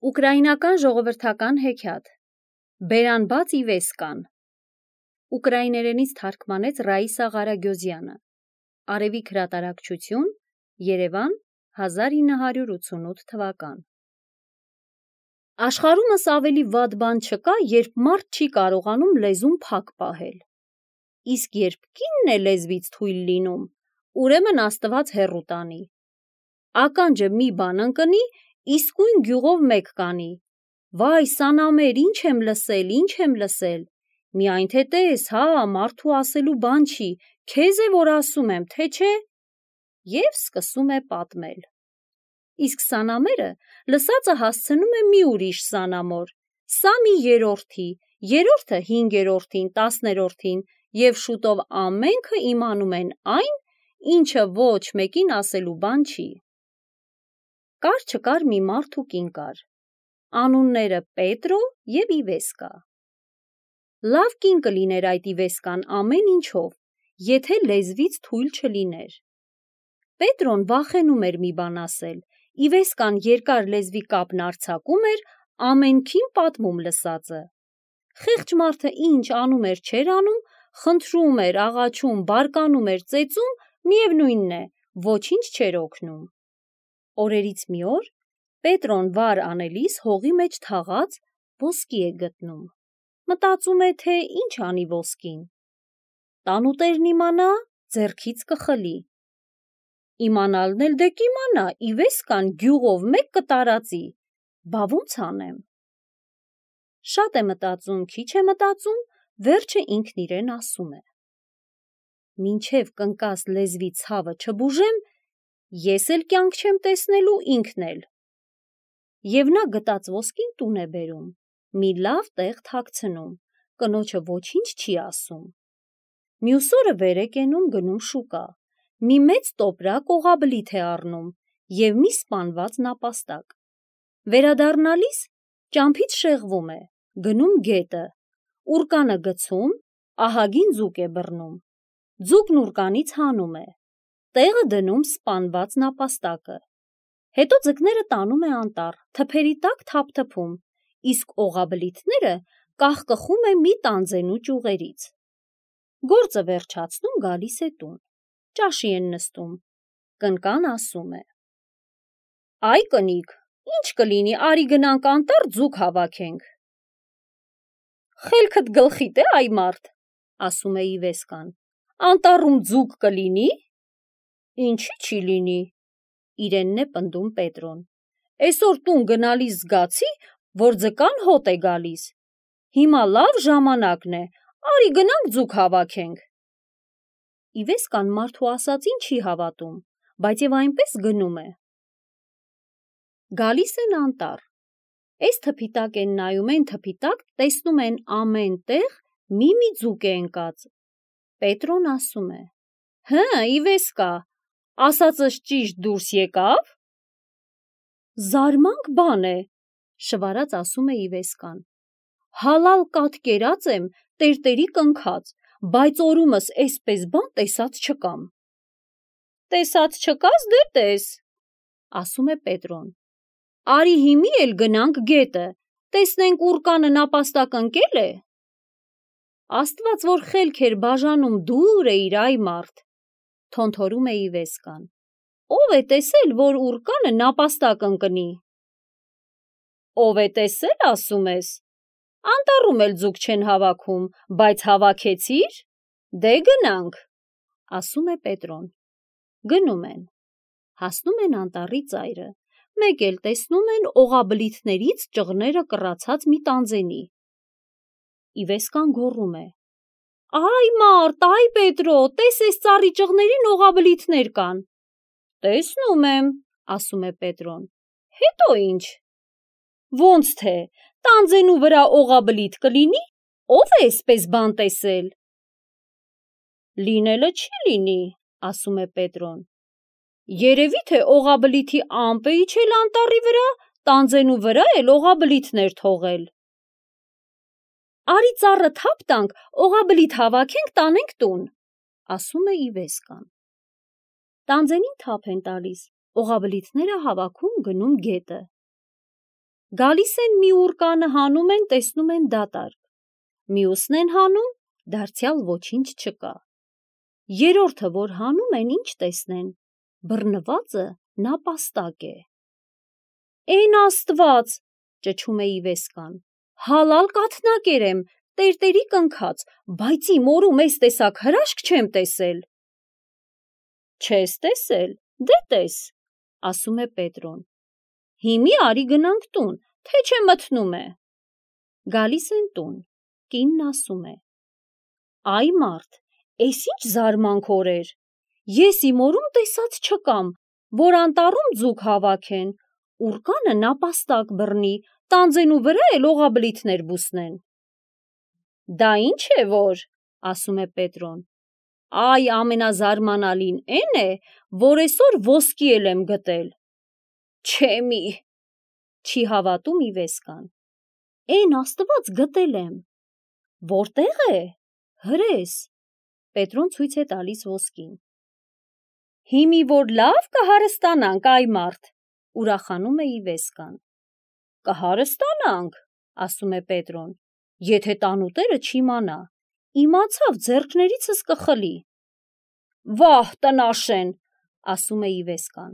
Ուկրաինական ժողովրդական հեքիաթ Բերանբաց Իվեսկան Ուկրաիներենից թարգմանեց Ռաիսա Ղարագյոզյանը Արևիկ հրատարակչություն Երևան 1988 թվական Աշխարհումս ավելի վատ բան չկա, երբ մարդ չի կարողանում լեզուն փակ պահել։ Իսկ երբ կինն է լեզվից թույլ լինում, ուրեմն Աստված հեռու տանի։ Ականջը մի բան ընկնի, իսկույն գյուղով մեկ կանի։ Վայ, սանամեր, ինչ եմ լսել, միայն թե տես, հա, մարդու ասելու բան չի, քեզ է որ ասում եմ, թե չէ։ Եվ սկսում է պատմել։ Իսկ սանամերը լսածը հասցնում է մի ուրիշ սանամոր, սա մի երրորդի, երրորդը 5-րդին, 10-րդին, և շուտով ամենքը իմանում են այն, ինչը ոչ մեկին ասելու բան չի։ Կար չկար մի մարդ ու կին կար, անունները Պետրո և Իվեսկա։ Լավ կին կլիներ այդ Իվեսկան ամեն ինչով, եթե լեզվից թույլ չլիներ։ Պետրոն վախենում էր մի բան ասել, Իվեսկան երկար լեզվի կապն արձակում էր, ամենքին պատմում լսածը։ Խեղճ մարդը ինչ անում էր չէր անում, խնդրում էր, աղաչում, բարկանում էր, ծեծում, միևնույնն է, ոչինչ չէր օգնում։ Օրերից մի օր Պետրոն վար անելիս հողի մեջ թաղած ոսկի է գտնում։ Մտածում է, թե ինչ անի ոսկին։ Տանուտերն իմանա, ձեռքից կխլի։ Իմանալն էլ դե կիմանա, Իվեսկան գյուղով մեկ կտարածի, բա ոնց անեմ։ Շատ է մտածում, քիչ է մտածում, վերջը ինքն իրեն ասում է. մինչև կնկաս լեզվի ցավը չբուժեմ, ես էլ կյանք չեմ տեսնելու, ինքն էլ։ Եվ նա գտած ոսկին տուն է բերում, մի լավ տեղ թաքցնում, կնոջը ոչինչ չի ասում։ Մյուս օրը վեր է կենում գնում շուկա, մի մեծ տոպրակ օղաբլիթ է առնում և մի սպանված նապաստակ։ Վերադառնալիս ճամփից շեղվում է, գնում գետը, ուռկանը գցում, ահագին ձուկ է բռնում։ Ձուկն ուռկանից հանում է, տեղը դնում սպանված նապաստակը։ Հետո ձկները տանում է անտառ, թփերի տակ թափթփում, իսկ օղաբլիթները կախկխում է մի տանձենու ճյուղերից։ Գործը վերջացնում գալիս է տուն, ճաշի են նստում, կնկան ասում է. Այ կնիկ, ինչ կլինի, արի գնանք անտառ ձուկ հավաքենք։ Խելքդ գլխիդ է, այ մարդ, ասում է Իվեսկան, անտառում ձուկ կլինի։ Ինչի՞ չի լինի, իրենն է պնդում Պետրոն։ Էսօր տուն գնալիս զգացի, որ ձկան հոտ է գալիս։ Հիմա լավ ժամանակն է, արի գնանք ձուկ հավաքենք։ Իվեսկան մարդու ասածին չի հավատում, բայց և այնպես գնում է։ Գալիս են անտառ։ Էս թփի տակ են նայում են թփի տակ, տեսնում են ամեն տեղ մի ձուկ է ընկած։ Պետրոն ասում է. Հը, Իվեսկա, ասածս ճիշտ դուրս եկավ։ Զարմանք բան է, շվարած ասում է Իվեսկան։ Հալալ կաթ կերած եմ, տերտերի կնքած, բայց օրումս էսպես բան տեսած չկամ։ Տեսած չկաս, դե տես, ասում է Պետրոն։ Արի հիմի էլ գնանք գետը, տեսնենք ուռկանը նապաստակ ընկել է։ Աստված որ խելք էր բաժանում, դուր էիր, այ մարդ, թոնթորում է Իվեսկան։ Ով է տեսել, որ ուռկանը նապաստակ ընկնի։ Ով է տեսել, ասում ես։ Անտառում էլ ձուկ չեն հավաքում, բայց հավաքեցիր։ Դե գնանք, ասում է Պետրոն։ Գնում են։ Հասնում են անտառի ծայրը, մեկ էլ տեսնում են օղաբլիթներից ճղները կռացած մի տանձենի։ Իվեսկան գոռում է. Այ մարդ, այ Պետրո, տես էս ծառի ճղներին օղաբլիթներ կան։ Տեսնում եմ, ասում է Պետրոն։ Հետո ինչ։ Ոնց թե, տանձենու վրա օղաբլիթ կլինի, ով է էսպես բան տեսել։ Լինելը չի լինի, ասում է Պետրոն։ Երևի թե օղաբլիթի ամպ է իջել անտառի վրա, տանձենու վրա էլ օղաբլիթներ թողել։ Արի ծառը թափ տանք, օղաբլիթ հավաքենք, տանենք տուն, ասում է Իվեսկան։ Տանձենին թափ են տալիս, օղաբլիթները հավաքում գնում գետը։ Գալիս են մի ուռկանը հանում են, տեսնում են դատարկ, մյուսն են հանում, դարձյալ ոչինչ չկա, երրորդը, որ հանում են, ինչ տեսնեն, բռնվածը նապաստակ է։ Էն Աստված, ճչում է Իվեսկան, հալալ կաթնակեր եմ, տերտերի կնքած, բայց իմ օրում էս տեսակ հրաշք չեմ տեսել։ Չես տեսել, դե տես, ասում է Պետրոն։ Հիմի արի գնանք տուն, թե չէ մթնում է։ Գալիս են տուն, կինն ասում է. Այ մարդ, էս ինչ զարմանք օրեր, ես իմ օրում տեսած չկամ, որ անտառում ձուկ հավաքեն, ուռկանը նապաստակ բռնի, տանձենու վրա էլ օղաբլիթներ բուսնեն։ Դա ինչ է որ, ասում է Պետրոն, այ ամենազարմանալին էն է, որ այսօր ոսկի էլ եմ գտել։ Չեմի, չի հավատում Իվեսկան։ Էն Աստված գտել եմ։ Որտեղ է։ Հրես։ Պետրոն ցույց է տալիս ոսկին։ Հիմի որ լավ կհարստանանք, այ մարդ, ուրախանում է Իվեսկան։ Կհարստանանք, ասում է Պետրոն, եթե տանուտերը չիմանա, իմացավ ձեռքներիցս կխլի։ Վահ, տնաշեն, ասում է Իվեսկան,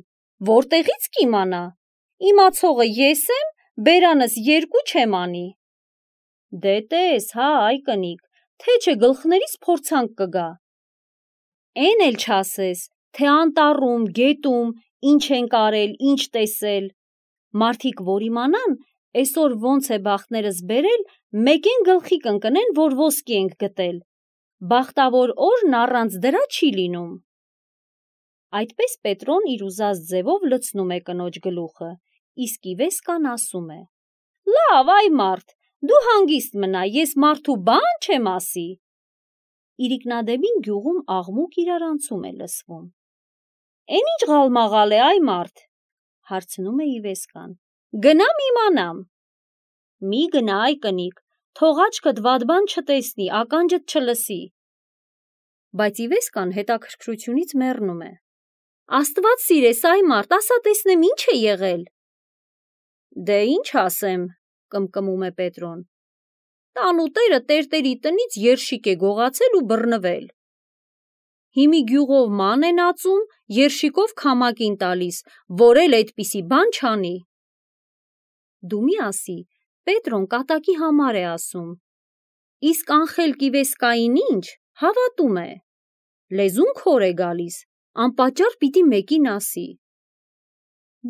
որտեղից կիմանա, իմացողը ես եմ, բերանս երկու չեմ անի։ Դե տես, հա, այ կնիկ, թե չէ գլխներիս փորձանք կգա։ Էն էլ չասես, թե անտառում, գետում, ինչ ենք արել, ինչ տեսել։ Մարդիկ որ իմանան, այսօր ոնց է բախտներս բերել, մեկեն գլխի կընկնեն, որ ոսկի ենք գտել։ Բախտավոր օրն առանց դրա չի լինում։ Այդպես Պետրոն իր ուզած ձևով լցնում է կնոջ գլուխը, իսկ Իվեսկան ասում է. Լավ, այ մարդ, դու հանգիստ մնա, ես մարդու բան չեմ ասի։ Իրիկնադեմին գյուղում աղմուկ իրարանցում է լսվում։ Էն ինչ ղալմաղալ է, այ մարդ, հարցնում է Իվեսկան։ Գնամ իմանամ։ Մի գնա, այ կնիկ, թող աչքդ վատ բան չտեսնի, ականջդ չլսի։ Բայց Իվեսկան հետաքրքրությունից մեռնում է։ Աստված սիրես, այ մարդ, ասա տեսնեմ ինչ է եղել։ Դե ինչ ասեմ, կմկմում է Պետրոն։ Տանուտերը տերտերի տնից երշիկ է գողացել ու բռնվել։ Հիմի գյուղով ման են ածում, երշիկով քամակին տալիս, որ էլ այդպիսի բան չանի։ Դու մի ասի, Պետրոն կատակի համար է ասում։ Իսկ անխելք Իվեսկային ինչ, հավատում է։ Լեզուն քոր է գալիս, անպատճառ պիտի մեկին ասի։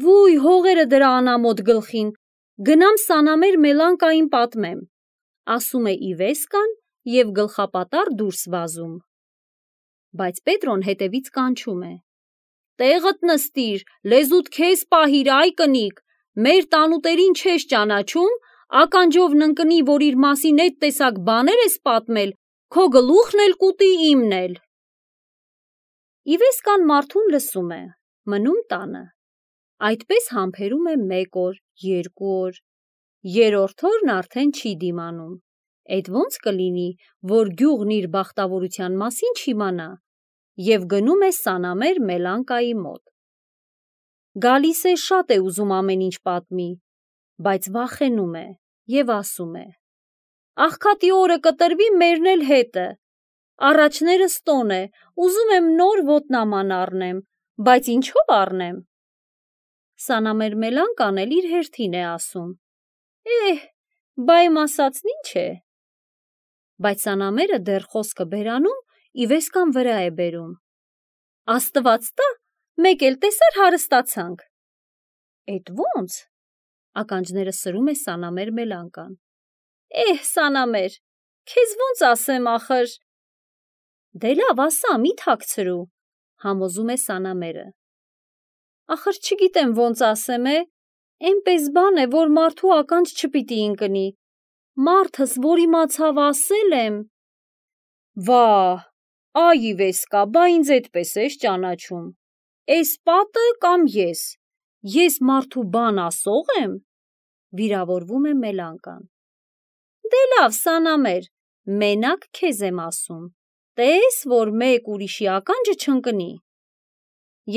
Վույ, հողերը դրա անամոթ գլխին, գնամ Սանամեր Մելանկային պատմեմ, ասում է Իվեսկան և գլխապատառ դուրս վազում։ Բայց Պետրոն հետևից կանչում է. Տեղդ նստիր, լեզուդ քեզ պահիր, այ կնիկ, մեր տանուտերին չես ճանաչում, ականջով ննկնի, որ իր մասին էդ տեսակ բաներ ես պատմել, քո գլուխն էլ կուտի, իմն էլ։ Իվեսկան մարդուն լսում է, մնում տանը։ Այդպես համբերում է 1 օր, 2 օր, երրորդ օրն արդեն չի դիմանում։ Էդ ոնց կլինի, որ գյուղն իր բախտավորության մասին չիմանա, և գնում է Սանամեր Մելանկայի մոտ։ Գալիս է, շատ է ուզում ամեն ինչ պատմի, բայց վախենում է և ասում է. Աղքատի օրը կտրվի մերն էլ հետը, առաջներս տոն է, ուզում եմ նոր ոտնաման առնեմ, բայց ինչով առնեմ։ Սանամեր Մելանկան էլ իր հերթին է ասում. բա իմ ասածն ինչ է։ Բայց Սանամերը դեռ խոսքը բերանում, Իվեսկան վրա է բերում։ Աստված տա, մեկ էլ տեսար հարստացանք։ Էդ ոնց։ Ականջները սրում է Սանամեր Մելանկան։ Սանամեր, քեզ ոնց ասեմ ախր։ Դե լավ ասա, մի թաքցրու, համոզում է Սանամերը։ Ախր չգիտեմ ոնց ասեմ, էնպես բան է, որ մարդու ականջ չպիտի ընկնի։ Մարդս, որ իմացավ ասել եմ։ Վահ, այ Իվեսկա, բա ինձ էդպես ես ճանաչում։ Էս պատը կամ ես մարդու բան ասող եմ։ Վիրավորվում է Մելանկան։ Դե լավ, Սանամեր, մենակ քեզ եմ ասում, տես, որ մեկ ուրիշի ականջը չընկնի։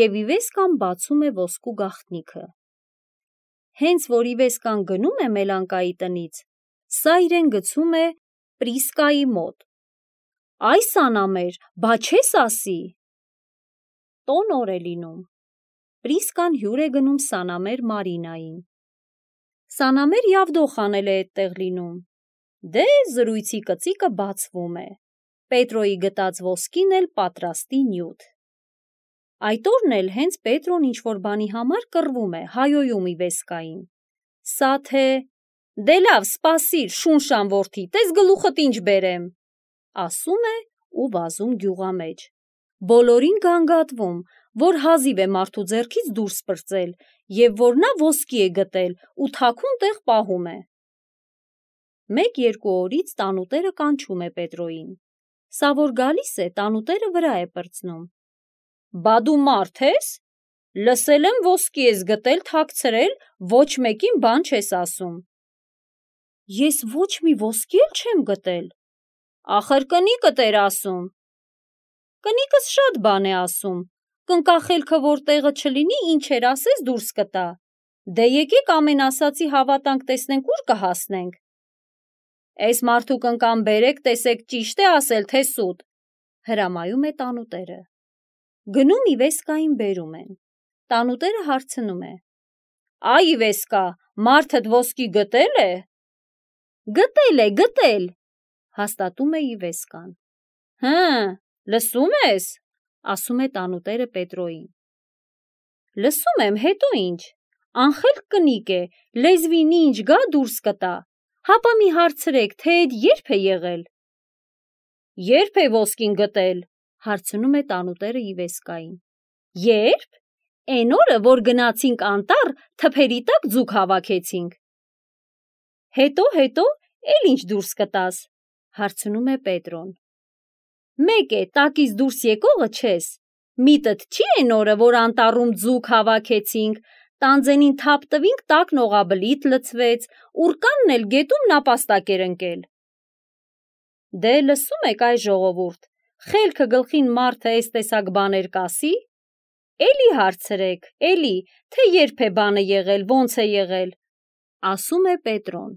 Եվ Իվեսկան բացում է ոսկու գաղտնիքը։ Հենց որ Իվեսկան գնում է Մելանկայի տնից, սա իրեն գցում է Պրիսկայի մոտ։ Այս անամեր, բա չես ասի։ Տոն օր է լինում։ Պրիսկան հյուր է գնում Սանամեր Մարինային։ Սանամեր Յավդոխ անել է այդտեղ լինում։ Դե զրույցի կծիկը բացվում է։ Պետրոյի գտած ոսկին էլ պատրաստի նյութ։ Այդ օրն էլ հենց Պետրոն ինչ-որ բանի համար կռվում է, հայոյում Իվեսկային։ Սա թե «Դե լավ, սպասիր, շունշան որդի, տես գլուխդ ինչ բերեմ», ասում է ու վազում գյուղամեջ։ Բոլորին գանգատվում, որ հազիվ է մարդու ձեռքից դուրս պրծել և որ նա ոսկի է գտել ու թաքուն տեղ պահում է։ 1-2 օրից տանուտերը կանչում է Պետրոյին։ Սա որ գալիս է, տանուտերը վրա է պրծնում։ Բա դու մարդ ես։ Լսել եմ ոսկի ես գտել, թաքցրել, ոչ մեկին բան չես ասում։ Ես ոչ մի ոսկի էլ չեմ գտել։ Ախր կնիկդ էր ասում։ Կնիկս շատ բան է ասում։ Կնկախելքը որ տեղը չլինի, ինչեր ասես դուրս կտա։ Դե եկեք ամեն ասացի հավատանք, տեսնենք ուր կհասնենք։ Էս մարդու կնկան բերեք, տեսեք ճիշտ է ասել, թե սուտ, հրամայում է տանուտերը։ Գնում Իվեսկային բերում են։ Տանուտերը հարցնում է. Այ Իվեսկա, մարդդ ոսկի գտել է։ Գտել, հաստատում է Իվեսկան։ Լսում ես, ասում է տանուտերը Պետրոյին։ Լսում եմ, հետո ինչ, անխելք կնիկ է, լեզվին ինչ գա դուրս կտա, հապա մի հարցրեք, թե էդ երբ է եղել։ Երբ է ոսկին գտել, հարցնում է տանուտերը Իվեսկային։ Երբ։ Էն օրը, որ գնացինք անտառ, թփերի տակ ձուկ հավաքեցինք։ Հետո, էլ ինչ դուրս կտաս, հարցնում է Պետրոն։ Մեկ է, տակից դուրս եկողը չես, միտդ չի էն օրը, որ անտառում ձուկ հավաքեցինք, տանձենին թափ տվինք, տակն օղաբլիթ լցվեց, ուռկանն էլ գետում նապաստակ էր ընկել։ Դե լսում եք այ ժողովուրդ, խելքը գլխին մարդը էս տեսակ բաներ կասի։ Էլի հարցրեք, թե երբ է բանը եղել, ոնց է եղել, ասում է Պետրոն։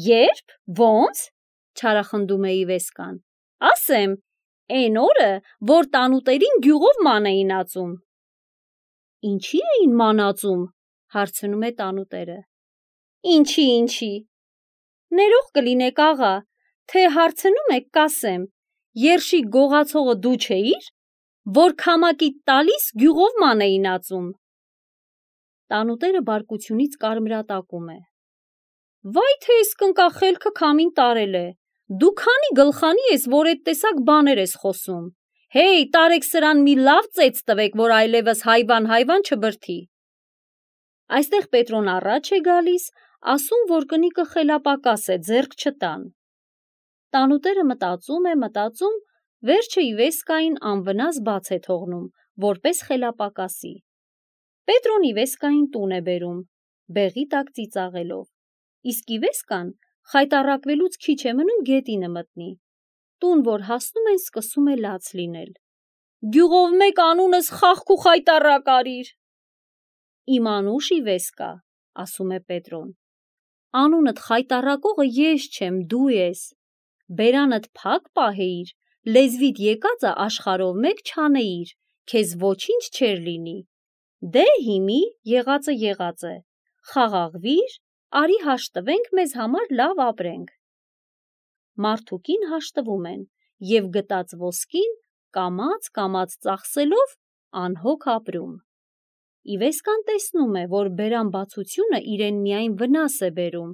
Երբ, ոնց, չարախնդում է Իվեսկան, ասեմ, էն օրը, որ տանուտերին գյուղով ման էին ածում։ Ինչի էին ման ածում, հարցնում է տանուտերը։ Ինչի։ Ներող կլինեք աղա, թե հարցնում եք կասեմ, երշիկ գողացողը դու չէիր, որ քամակիդ տալիս գյուղով ման էին ածում։ Տանուտերը բարկությունից կարմրատակում է։ Վայ թե ես կնկախելքը քամին տարել է, դու քանի գլխանի ես, որ էդ տեսակ բաներ ես խոսում։ Հեյ, տարեք սրան մի լավ ծեծ տվեք, որ այլևս հայվան չբրդի։ Այստեղ Պետրոն առաջ է գալիս, ասում, որ կնիկը խելապակաս է, ձեռք չտան։ Տանուտերը մտածում, վերջը Իվեսկային անվնաս բաց է թողնում, որպես խելապակասի։ Պետրոն Իվեսկային տուն է բերում, բեղի տակ ծիծաղելով, իսկ Իվեսկան խայտառակվելուց քիչ է մնում գետինը մտնի։ Տուն որ հասնում են, սկսում է լաց լինել։ Գյուղով մեկ անունս խաղք ու խայտառակ արիր։ Իմ անուշ Իվեսկա, ասում է Պետրոն։ Անունդ խայտառակողը ես չեմ, դու ես։ Բերանդ փակ պահեիր, լեզվիդ եկածը աշխարհով մեկ չանեիր, քեզ ոչինչ չեր լինի։ Դե հիմի եղածը, խաղաղվիր, արի հաշտվենք, մեզ համար լավ ապրենք։ Մարդուկին հաշտվում են և գտած ոսկին կամաց ծախսելով անհոգ ապրում։ Իվեսկան տեսնում է, որ բերան բացությունը իրեն միայն վնաս է բերում,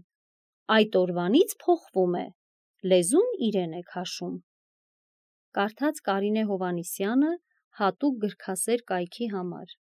այդ օրվանից փոխվում է, լեզուն իրեն է քաշում։ Կարդաց Կարինե Հովհաննիսյանը հատուկ գրքասեր կայքի համար։